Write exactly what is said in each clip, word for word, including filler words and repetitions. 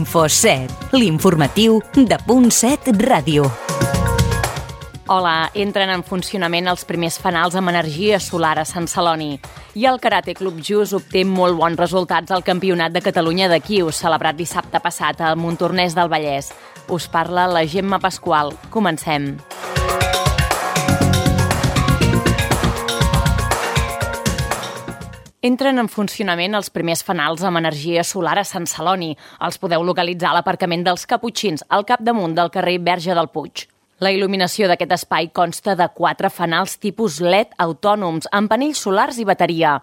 InfoSet, l'informatiu de Punt set Ràdio. Hola, entren en funcionament els primers fanals amb energia solar a Sant Celoni. I el Karate Club Just obté molt bons resultats al Campionat de Catalunya de Quius, celebrat dissabte passat al Montornès del Vallès. Us parla la Gemma Pasqual. Comencem. Entren en funcionament els primers fanals amb energia solar a Sant Celoni. Els podeu localitzar a l'aparcament dels Caputxins, al capdamunt del carrer Verge del Puig. La il·luminació d'aquest espai consta de quatre fanals tipus L E D autònoms, amb panells solars i bateria.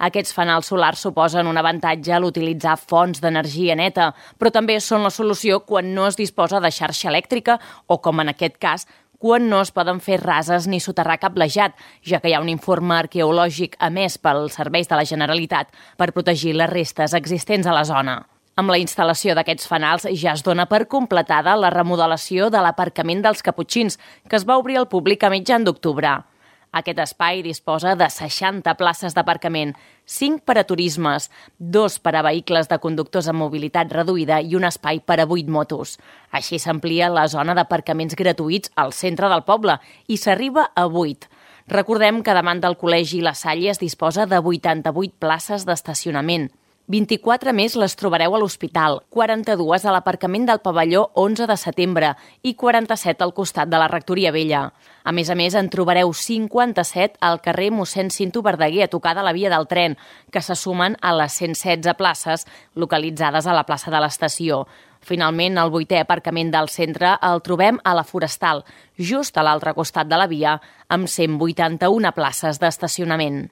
Aquests fanals solars suposen un avantatge a l'utilitzar fonts d'energia neta, però també són la solució quan no es disposa de xarxa elèctrica o, com en aquest cas, quan no es poden fer rases ni soterrar cablejat, ja que hi ha un informe arqueològic emès pels serveis de la Generalitat per protegir les restes existents a la zona. Amb la instal·lació d'aquests fanals ja es dona per completada la remodelació de l'aparcament dels Caputxins, que es va obrir al públic a mitjan d'octubre. Aquest espai disposa de seixanta places d'aparcament, cinc per a turismes, dos per a vehicles de conductors amb mobilitat reduïda i un espai per a vuit motos. Així s'amplia la zona d'aparcaments gratuïts al centre del poble i s'arriba a vuit. Recordem que davant del Col·legi La Salle es disposa de vuitanta-vuit places d'estacionament. vint-i-quatre més les trobareu a l'hospital, quaranta-dues a l'aparcament del pavelló onze de setembre i quaranta-set al costat de la Rectoria Vella. A més a més, en trobareu cinquanta-set al carrer mossèn Cinto Verdaguer, a tocar de la via del tren, que se sumen a les cent setze places localitzades a la plaça de l'estació. Finalment, el vuitè aparcament del centre el trobem a la Forestal, just a l'altre costat de la via, amb cent vuitanta-una places d'estacionament.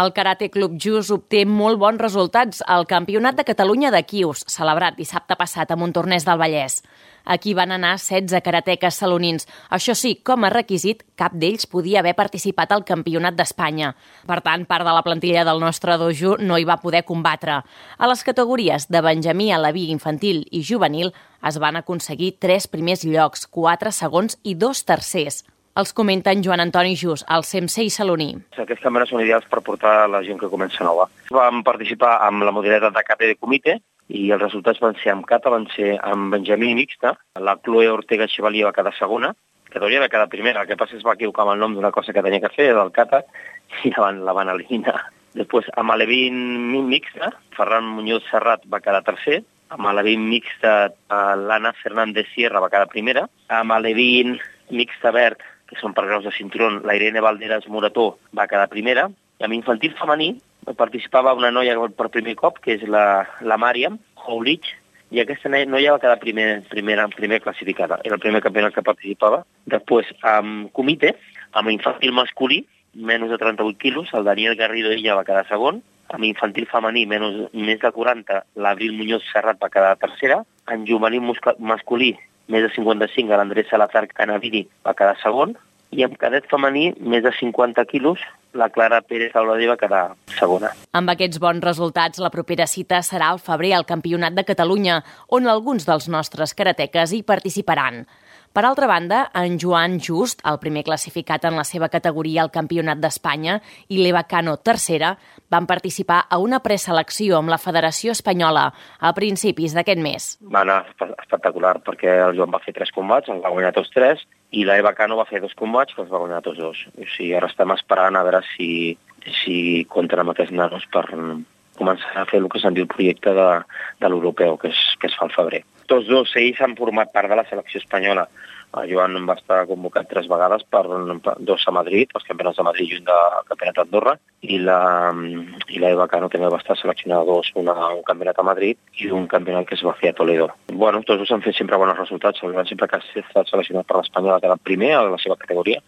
El Karate Club Just obté molt bons resultats al Campionat de Catalunya de Quius, celebrat dissabte passat a Montornès del Vallès. Aquí van anar setze karateques salonins. Això sí, com a requisit, cap d'ells podia haver participat al Campionat d'Espanya. Per tant, part de la plantilla del nostre dojo no hi va poder combatre. A les categories de Benjamí, Aleví, Infantil i Juvenil es van aconseguir tres primers llocs, quatre segons i dos tercers. Els comenten Joan Antoni Just, el sensei saloní. Aquests campionats són ideals per portar la gent que comença nova. Vam participar amb la modalitat de kata de comitè i els resultats van ser amb kata, van ser amb Benjamí mixta, la Chloe Ortega Chevalier va quedar segona, que hauria de quedar primera, el que passa és que es va equivocar amb el nom d'una cosa que tenia que fer, del kata, i la van, la van eliminar. Després, amb Alevín mixta, Ferran Muñoz Serrat va quedar tercer, amb Alevín mixta, l'Anna Fernández Sierra va quedar primera, amb Alevín mixta verd, que són per graus de cinturón, la Irene Valderas Morató va quedar primera, i amb infantil femení participava una noia per primer cop, que és la, la Màriam Houlich, i aquesta noia va quedar primer, primera, primer classificada. Era el primer campionat que participava. Després, amb comitè, amb infantil masculí, menys de trenta-vuit quilos, el Daniel Garrido ella va quedar segon, amb infantil femení, menys, més de quaranta, l'Abril Muñoz Serrat va quedar tercera, en juvenil masculí, més de cinquanta-cinc, l'Andrés Salazar Canavini va quedar segon, i amb cadet femení, més de cinquanta quilos, la Clara Pérez Auladé va quedar segona. Amb aquests bons resultats, la propera cita serà al febrer al Campionat de Catalunya, on alguns dels nostres karateques hi participaran. Per altra banda, en Joan Just, el primer classificat en la seva categoria al Campionat d'Espanya, i l'Eva Cano, tercera, van participar a una preselecció amb la Federació Espanyola a principis d'aquest mes. Va anar espectacular, perquè el Joan va fer tres combats, els va guanyar tots tres, i l'Eva Cano va fer dos combats, que els va guanyar tots dos. O sigui, ara estem esperant a veure si, si compten amb aquests nanos per començar a fer el que se'n diu el projecte de, de l'europeu, que es, que es fa al febrer. Tots dos ells han format part de la selecció espanyola. El Joan va estar convocat tres vegades, per, per dos a Madrid, els campionats de Madrid i un del campionat d'Andorra, i la, i la Eva Cano també va estar seleccionada dos, una, un campionat a Madrid i un campionat que es va fer a Toledo. Bueno, tots dos han fet sempre bons resultats, el Joan sempre que ha estat seleccionat per l'Espanyol ha quedat primer a la seva categoria,